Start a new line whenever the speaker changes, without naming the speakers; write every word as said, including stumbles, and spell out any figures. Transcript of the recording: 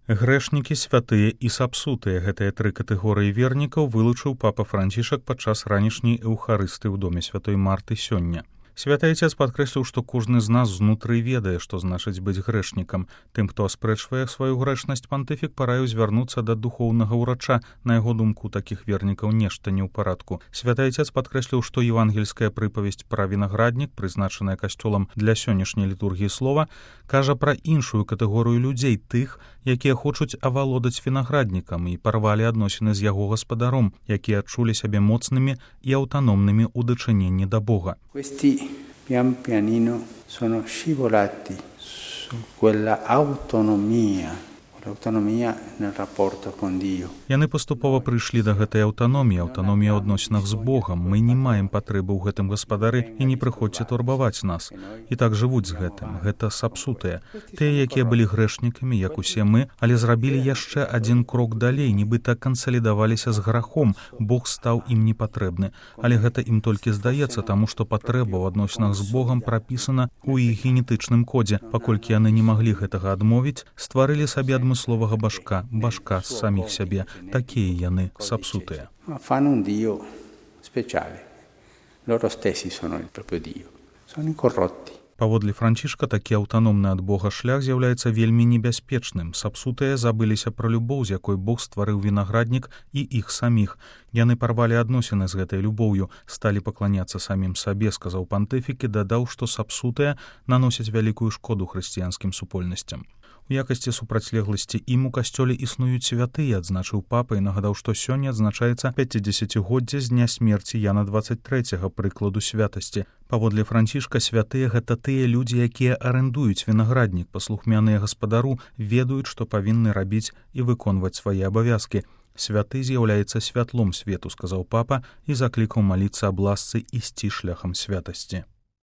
Грэшнікі, святыя і сапсутыя — гэтыя тры катэгорыі вернікаў вылучыў папа Францішак падчас ранішняй эўхарысты ў доме святой Марты сёння. Святы Айцец падкрэсліў, што кожны з нас знутры ведае, што значыць быць грэшнікам. Тым, хто аспрэчвае сваю грэшнасць, пантыфік параіў звярнуцца да духоўнага ўрача. На яго думку, такіх вернікаў нешта не ў парадку. Святы Айцец падкрэсліў, што евангельская прыпавесць пра вінаграднік, прызначаная касцёлам для сённяшняй літургіі слова, кажа пра іншую катэгорыю людзей, тых, якія хочуць авалодаць вінаграднікам і парвалі адносіны з яго гаспадаром, якія адчулі сябе моцнымі і аўтаномнымі ў дачыненні да Бога.
Pian pianino sono scivolati su quella autonomia, l'autonomia nel rapporto con Dio.
Яны паступова прыйшлі да гэтай аўтаноміі, аўтаноміі ў адносінах з Богам. Мы не маем патрэбы ў гэтым гаспадары і не прыходзьце турбаваць нас. І так жывуць з гэтым. Гэта сапсутыя. Тыя, якія былі грэшнікамі, як усе мы, але зрабілі яшчэ адзін крок далей, нібыта кансалідаваліся з грахом. Бог стаў ім непатрэбны. Але гэта ім толькі здаецца, таму што патрэба ў адносінах з Богам прапісана ў іх генетычным кодзе. Паколькі яны не маглі гэтага адмовіць, стварылі сабе адмысловага башка, башка з саміх сябе. Такія яны сапсутыя.
Fanno un Dio speciale. Loro stessi sono il proprio Dio. Sono incorrotti.
Паводле Францішка, такі аўтаномны ад Бога шлях з'яўляецца вельмі небяспечным. Сапсутыя забыліся пра любоў, з якой Бог стварыў вінаграднік і іх саміх. Яны парвалі адносіны з гэтай любоўю, сталі пакланяцца самім сабе, сказаў пантыфік і дадаў, што сапсутыя наносяць вялікую шкоду хрысціянскім супольнасцям. У якасці супрацьлегласці ім у касцёле існуюць святыя, адзначыў папа і нагадаў, што сёння адзначаецца пяцідзесяцігоддзе з дня смерці Яна дваццаць трэцяга, прыкладу святасці. Паводле Францішка, святыя — гэта тыя людзі, якія арэндуюць вінаграднік, паслухмяныя гаспадару, ведаюць, што павінны рабіць і выконваць свае абавязкі. Святы з'яўляецца святлом свету, сказаў папа і заклікаў маліцца аб ласцы ісці шляхам святасці.